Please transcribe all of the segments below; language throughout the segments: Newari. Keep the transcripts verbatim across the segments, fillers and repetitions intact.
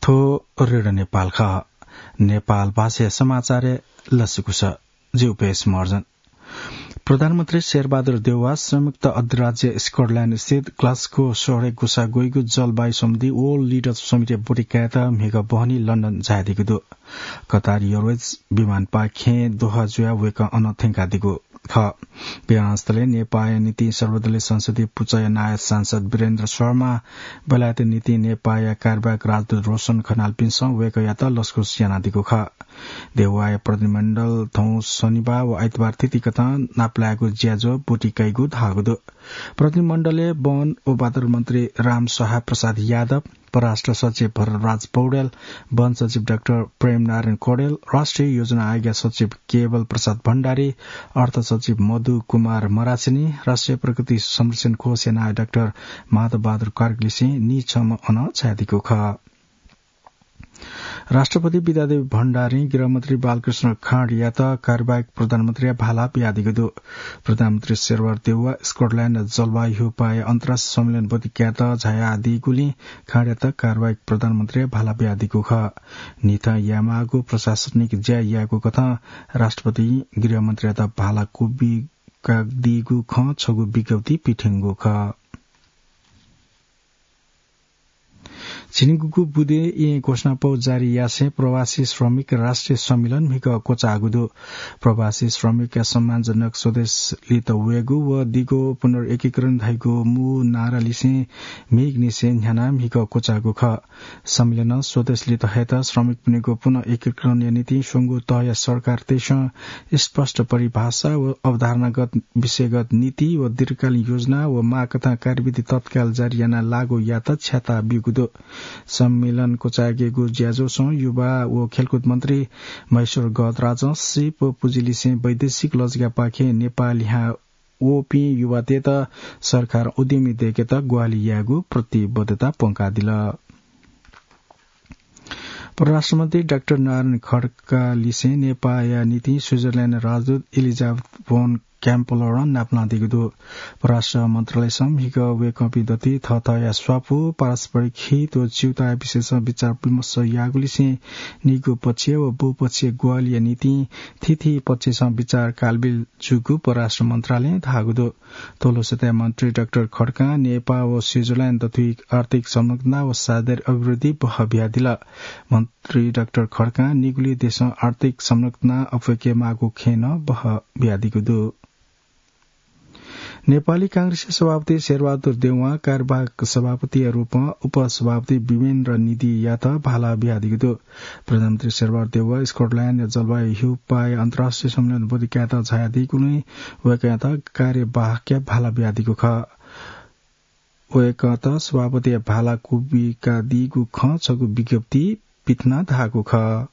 थ्व रेडियो नेपाल खः। नेपाल भाषाया समाचारय् लसकुस। जिउ पेश मर्जन। प्रधानमन्त्री शेरबहादुर देउवा संयुक्त अधिराज्य स्कटल्याण्ड स्थित ग्लास्गो शहरय् गुसा ग्वइगु जलवायु सम्बन्धी World Leaders Summit-य् ब्वति कायेत म्हिगः बहनी लन्डन झायादीगु दु। कतार एयरवेज विमानपाखें दोहा जुयाः वय्कः अन थ्यंकादीगु खः। विमानस्थलय् नेपाःया निंतिं सर्वदलीय संसदीय पुचःया नायः सांसद वीरेन्द्र शर्मा, बेलायत निंतिं नेपाःया कार्यवाहक राजदूत रोशन खनालपिन्सं वय्कःयात लसकुस यानादीगु खः। देउवाया प्रतिनिधिमण्डल थौं शनिबाः व आइतबार थीथी कथं नापलायेगु ज्याझ्वः ब्वति कइगु धाःगु दु। प्रतिनिधिमण्डलय् वन व वातावरण मन्त्री राम सहाय प्रसाद यादव, परराष्ट्र सचिव भरतराज पौडेल, वन सचिव डाक्टर प्रेम नारायण कौडेल, राष्ट्रिय योजना आयोगया सचिव केवल प्रसाद भण्डारी, अर्थ सचिव मधु कुमार मरासिनी, राष्ट्रिय प्रकृति संरक्षण कोषया नायः डाक्टर माधव बहादुर कार्कीलिसें निछम्ह अन झायादीगु खः। राष्ट्रपति विद्यादेवी भण्डारीं गृहमन्त्री बालकृष्ण खाँडयात कार्यवाहक प्रधानमन्त्रीया भाला बियादीगु दु। प्रधानमन्त्री शेरबहादुर देउवा स्कटल्याण्ड जलवायु ह्यूपाःया अन्तर्राष्ट्रिय सम्मेलन ब्वति कायेत झायादीगुलिं खाँडयात कार्यवाहक प्रधानमन्त्रीया भाला बियादीगु खः। न्हिथं यायेमाःगु प्रशासनिक ज्या यायेगु कथं राष्ट्रपतिं गृहमन्त्रीयात भाला क्वबिकादीगु खँ छगू विज्ञप्ति पिथंगु खः। झिंनिगूगु बुँदे येँ घोषणापौ जारी यासें प्रवासी श्रमिक राष्ट्रिय सम्मेलन म्हिगः क्वचाःगु दु। प्रवासी श्रमिकया सम्मानजनक स्वदेश लित वयेगु व दिगो पुनर्एकीकरण धइगु मू नारालिसें म्हिगःनिसें न्ह्यानाः म्हिगः क्वचाःगु खः। सम्मेलनं स्वदेश लित हयेत श्रमिकपिनिगु पुनः एकीकरणया निंतिं स्वंगू तहया सरकारतय्सं स्पष्ट परिभाषा व अवधारणागत विषयगत नीति व दीर्घकालीन योजना व माःकथं कार्यविधि तत्काल जारी यानाः लागू यायेत छ्याता ब्यूगु दु। सम्मेलन क्वचायेकेगु ज्याझ्वलय् युवा व खेलकुद मन्त्री महेश्वर गजराजं सीप व पुँजीलिसें वैदेशिक लजगापाखें नेपाः लिहां वःपिं युवातय्त सरकारं उद्यमी दयेकेत ग्वाहालि यायेगु प्रतिबद्धता प्वंकादिल। परराष्ट्रमन्त्री डाक्टर नारायण खड्कालिसें नेपाःया निंतिं स्विजरल्याण्ड राजदूत एलिजाबेथ भोन क्याम्पलरं नापलानादीगु दु। परराष्ट्र मन्त्रालयसं म्हिगः वय्कःपिं दथुइ थःथःया स्वापू, पारस्परिक हित व च्यूताया विषयसं विचार विमर्श याःगुलिसें निगू पक्षीय व बहुपक्षीय ग्वाहालिया निंतिं थीथी पक्षसं विचार कालबिल जूगु परराष्ट्र मन्त्रालयं धाःगु दु। तःलुसतय् मन्त्री डाक्टर खड्कां नेपाः व स्विजरल्याण्ड दथुइ आर्थिक संलग्नता व साझेदारी अभिवृद्धि बहः बियादिल। मन्त्री डाक्टर खड्कां निगुलिं देशं आर्थिक संलग्नता अप्वय्के माःगु खँय् नं बहः बियादीगु दु। नेपाली कांग्रेसया सभापति शेरबहादुर देउवां कार्यवाहक सभापतिया रूपं उपसभापति विमेन्द्र निधियात भाला बियादीगु दु। प्रधानमन्त्री शेरबहादुर देउवा स्कटल्याण्डया जलवायु ह्यूपाःया अन्तर्राष्ट्रिय सम्मेलन ब्वति कायेत झायादीगुलिं वय्कःयात कार्यवाहकया भाला बियादीगु खः। वय्कःयात सभापतिया भाला क्वबिकादीगु खँ छगू विज्ञप्ति पिथनाः धाःगु खः।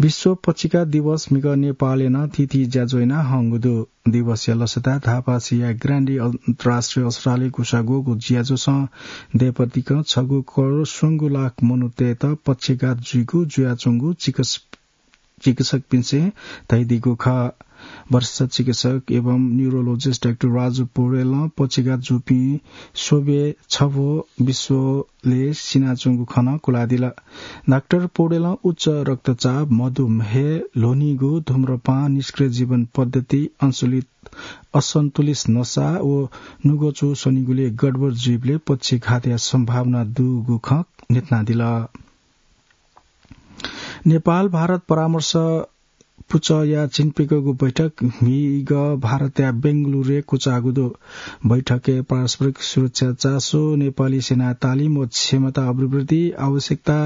विश्व पक्षिघात दिवस म्हिगः नेपालय् नं थीथी ज्याझ्वः याना हंगु दु। दिवसया लसताय् धापासिया ग्रान्डी अन्तर्राष्ट्रिय अस्पतालय् गुसाग्वःगु ज्याझ्वलय् दँय्‌पतिकं छगू करोड स्वंगू लाख मनूतय्‌त पक्षिघात जुइगु जुयाच्वंगु चिकित्स-, चिकित्सकपिन्सं धयादीगु खः। वरिष्ठ चिकित्सक एवं न्युरोलोजिस्ट डाक्टर राजु पौडेलं पक्षिघात जूपिं स्वब्वय् छब्व विश्वलय् सिनाच्वंगु खँ नं कुलादिल। डाक्टर पौडेलं उच्च रक्तचाप, मधुमेह, ल्ह्वनीगु, धूम्रपान, निष्क्रिय जीवन पद्धति, असन्तुलित, असन्तुलित नसा व नुगःचु स्वनीगुलिइ गडबड जुइबलय् पक्षिघातया सम्भावना दुगु खँ न्ह्यथनादिल। नेपाल भारत परामर्श पुचःया झिंप्यंगूगु बैठक म्हिगः भारतया बेंगलुरुय् क्वचाःगु दु। बैठकय् पारस्परिक सुरक्षा चासो, नेपाली सेनाया तालिम व क्षमता अभिवृद्धि, आवश्यकता,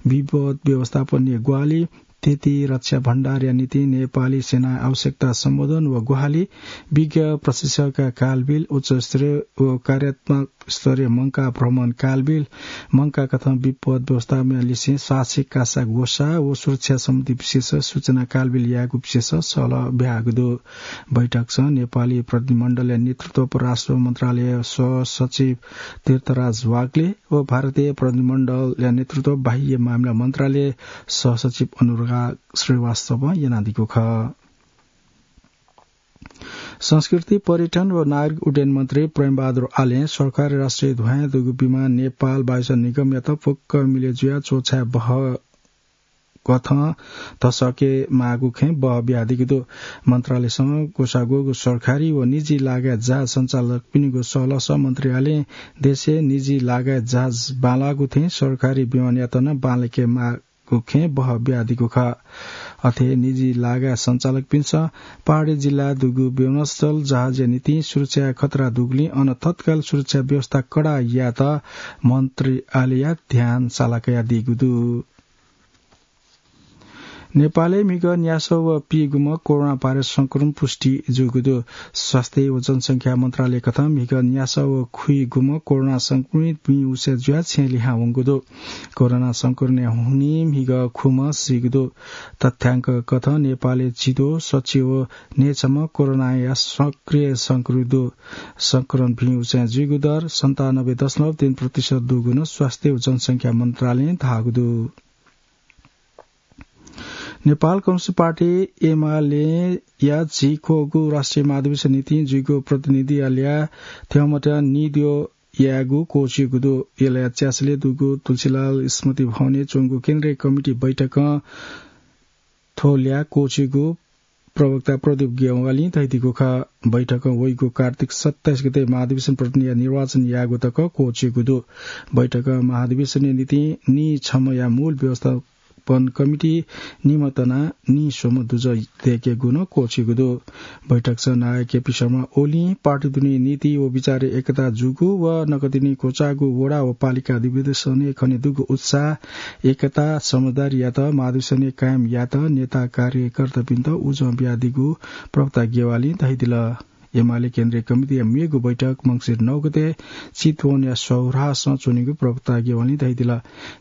विपद व्यवस्थापनया ग्वाहालि, थीथी रक्षा भण्डारया निंतिं नेपाली सेनाया आवश्यकता सम्बोधन व ग्वाहालि, विज्ञ प्रशिक्षकया कालबिल, उच्च स्तरीय व कार्यात्मक स्तरीय मंकाः भ्रमण कालबिल, मंकाः कथं विपद व्यवस्थापनया लिसें साहसिक कासा ग्वसाः व सुरक्षा सम्बन्धी विशेष सूचना कालबिल यायेगु विशेष सहलह ब्याहाःगु दु। बैठकसं नेपाली प्रतिनिधिमण्डलया नेतृत्व परराष्ट्र मन्त्रालय सहसचिव तीर्थराज वाग्ले व भारतीय प्रतिनिधिमण्डलया नेतृत्व बाह्य मामिला मन्त्रालय सहसचिव अनुराग श्रीवास्तवं यानादीगु खः। संस्कृति, पर्यटन व नागरिक उड्डयन मन्त्री प्रेमबहादुर आलें सरकारी राष्ट्रिय ध्वयां दुगु विमान नेपाल वायुसेवा निगमयात फुक्क मिले जुयाः च्वछाये बहः कथं धसके माःगु खँय् बहः बियादीगु दु। मन्त्रालयसं ग्वसाः ग्वःगु सरकारी व निजी लागाय् जहाज सञ्चालकपिनिगु सहलहसं मन्त्री आलें देशय् निजी लागाय् जहाज बांलाःगु थें सरकारी विमानयात नं बांलाके माःगु खँय् बहः बियादीगु खः। अथे निजी लागाय् सञ्चालकपिन्सं पहाडी जिल्ला दुगु विमानस्थल जहाजया निंतिं सुरक्षाया खतरा दुगुलिं अन तत्काल सुरक्षा व्यवस्था कडा यायेत मन्त्री आलेया ध्यान साला कयादीगु दु। नेपालय् म्हिगः न्यासः व पीगुम्ह कोरोना भाइरस संक्रमण पुष्टि जूगु दु। स्वास्थ्य व जनसंख्या मन्त्रालय कथं म्हिगः न्यासः व खुइगुम्ह कोरोना संक्रमित भिं उसे जुयाः छेँ लिहां वंगु दु। कोरोना संक्रमणया हुनिं म्हिगः खुम्ह सीगु दु। तथ्याङ्क कथं नेपालय् चिद्वः सच्छि व न्हय्छम्ह कोरोनाया सक्रिय संक्रमित दु। संक्रमण भिं उसे जुइगु दर सन्तानब्बे दशमलव तीन प्रतिशत दुगु नं स्वास्थ्य व जनसंख्या मन्त्रालयं धाःगु दु। नेपाल कम्युनिस्ट पार्टी एमालेया झिंक्वःगु राष्ट्रिय महाधिवेशन निंतिं जुइगु प्रतिनिधियालया थ्यंमत निद्वः यायेगु क्वःछिगु दु। एमालेया च्यासलय् दुगु तुलसीलाल स्मृति भवनय् च्वंगु केन्द्रीय कमिटी बैठकं थ्व ल्याः क्वःछिगु प्रवक्ता प्रदीप ज्ञवालीं धयादीगु खः। बैठकं वइगु कार्तिक सत्ताइस गते महाधिवेशन प्रतिनिधिया निर्वाचन यायेगु तक क्वःछिगु दु। बैठकं महाधिवेशनया निंतिं नीछम्हया मूल व्यवस्थापन कमिटी निम्ह तनाः नीस्वम्ह दुजः दयेकेगु नं क्वःछिगु दु। बैठकसं नायः केपी शर्मा ओलीं पार्टी दुने नीति व विचारय् एकता जूगु व नकतिनि क्वचाःगु वडा व पालिका अधिवेशनय् खने दुगु उत्साह, एकता, समझदारीयात महाधिवेशनय् कायम यायेत नेता कार्यकर्तापिन्त उजं बियादीगु प्रवक्ता ज्ञवालीं धयादिल। एमाले केन्द्रीय कमिटीया मेगु बैठक मंसिर नौ गते चितवनया सौराहासं च्वनीगु प्रवक्ता ज्ञवालीं धयादिल।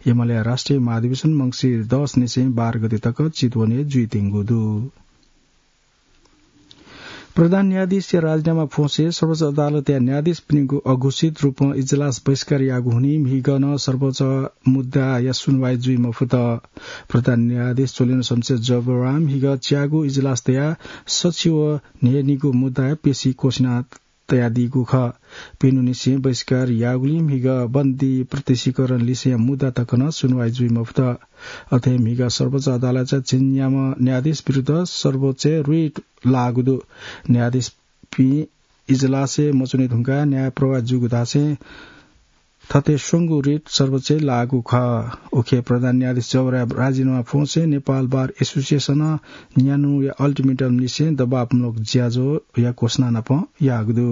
एमालेया राष्ट्रिय महाधिवेशन मंसिर दस निसें बाह्र गते तक चितवनय् जुइत्यंगु दु। प्रधान न्यायाधीशया राजीनामा फ्वंसे सर्वोच्च अदालतया न्यायाधीशपिनिगु अघोषित रूपं इजलास बहिष्कार याःगु हुनिं म्हिगः नं सर्वोच्च मुद्दाया सुनवाई जुइ मफुत। प्रधान न्यायाधीश चोलेन्द्र शमशेर जबरां म्हिगः च्यागू इजलास तयाः सछि व न्हय्‌निगू मुद्दाया पेशी क्वसिना तयादीगु खः। प्यन्हुनिसें बहिष्कार याःगुलिं म्हिगः बन्दी प्रत्यक्षीकरण लिसेया मुद्दा तक नं सुनवाई जुइ मफुत। अथे म्हिगः सर्वोच्च अदालतया झिंन्याम्ह न्यायाधीश विरुद्ध सर्वोच्चय् रिट लाःगु दु। न्यायाधीशपिं इजलासय् मच्वने धुंकाः न्याय प्रभावित जूगु धासें थथे स्वंगू रिट सर्वोच्चय् लाःगु खः। उखे प्रधान न्यायाधीश जबराया राजीनामा फ्वंसे नेपाल बार एसोसिएसनं न्यान्हुया अल्टिमेटम लिसें दबावमूलक ज्याझ्वःया घोषणा नाप याःगु दु।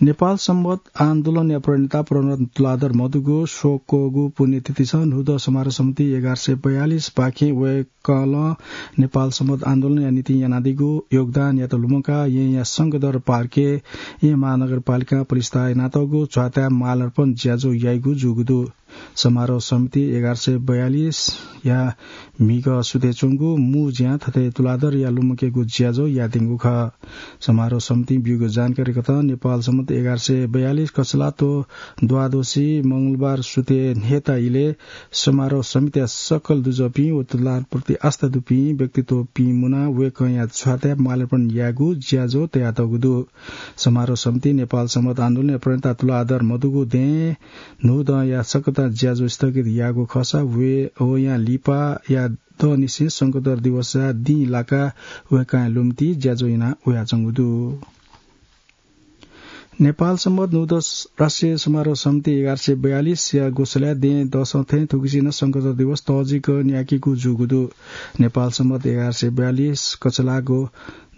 नेपाल संवत आन्दोलनया प्रणेता प्रेमरत्न तुलाधर मधुगु स्वक्वःगु पुण्यतिथिसं न्हूदँ समारोह समिति एघार सय बयालिस पाखें वय्कलं नेपाल संवत आन्दोलनया निंतिं यानादीगु योगदानयात लुमंकाः येँया शंखधर पार्कय् येँ महानगरपालिकां पलिस्था यानातःगु झ्वाताय् मालार्पण ज्याझ्वः याइगु जूगु दु। समारोह समिति एघार सय बयालिसया म्हिगः सुथय् च्वंगु मू ज्यां थथे तुलाधरया लुमंकेगु ज्याझ्वः याःत्यंगु खः। समारोह समितिं ब्यूगु जानकारी कथं नेपाल संवत एघार सय बयालिस कछलात द्वादशी मंगलबार सुथय् न्हय्ता इलय् समारोह समितिया सकल दुजःपिं व तुलाधरप्रति आस्था दुपिं व्यक्तित्वपिं मुनाः वय्कःया झ्वाताय् मालार्पण यायेगु ज्याझ्वः तयातःगु दु। समारोह समितिं नेपाल संवत आन्दोलनया प्रणेता तुलाधर मधुगु दँय् न्हूदँया सकतां ज्याझ्वः स्थगित याःगु खःसा वय्-, वयां लिपाया दँनिसें शंखधर दिवसया दिं लाकाः वय्कःया लुमति ज्याझ्वः याना वयाच्वंगु दु। नेपाल संवत न्हूदँ राष्ट्रिय समारोह समिति एघार सय बयालिसया ग्वसालय् दँय् दसं थें थुगुसी नं शंखधर दिवस तःजिक न्यायेकेगु जूगु दु। नेपाल संवत एघार सय बयालिस कछलाःगु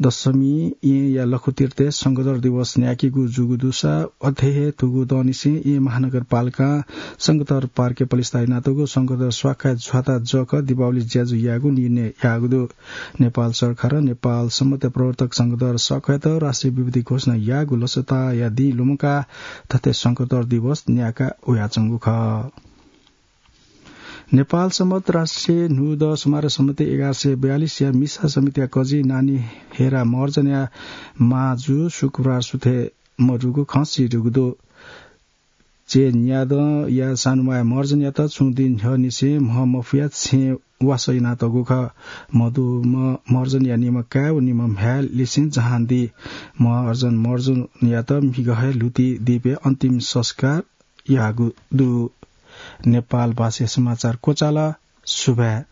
दशमी येँया लखुतीर्थय् शंखधर दिवस न्यायेकेगु जूगु दुसा अथे हे थुगु दँनिसें येँ महानगरपालिकां शंखधर पार्कय् पलिस्था यानातःगु शंखधर स्वाखाय् झ्वाता जक दीपावली ज्याझ्वः यायेगु निर्णय याःगु दु। नेपाल सरकारं नेपाल संवतया प्रवर्तक शंखधर स्वाखायात राष्ट्रिय विभूति घोषणा याःगु लसताया दिं लुमंकाः थथे शंखधर दिवस न्यायेका वयाच्वंगु खः। नेपाल संवत राष्ट्रिय न्हूदँ समारोह समिति एघार सय बयालिसया मिसा समितिया कजि नानी हेरा महर्जनया माजु शुक्रबार सुथय् मदुगु खँ सिधुगु दु। चेन्यादँया सानुमाया महर्जनयात छुं दिं न्ह्यःनिसें म्ह मफुया छेँ वासः यानातःगु खः। मदुम्ह महर्जनया निम्ह काय् व निम्ह म्ह्याय् लिसें जहानदी महर्जन महर्जनयात म्हिगः हे ल्हुतिदीपय् अन्तिम संस्कार याःगु दु। नेपाल भाषाय् समाचार क्वचाल। सुभाय्।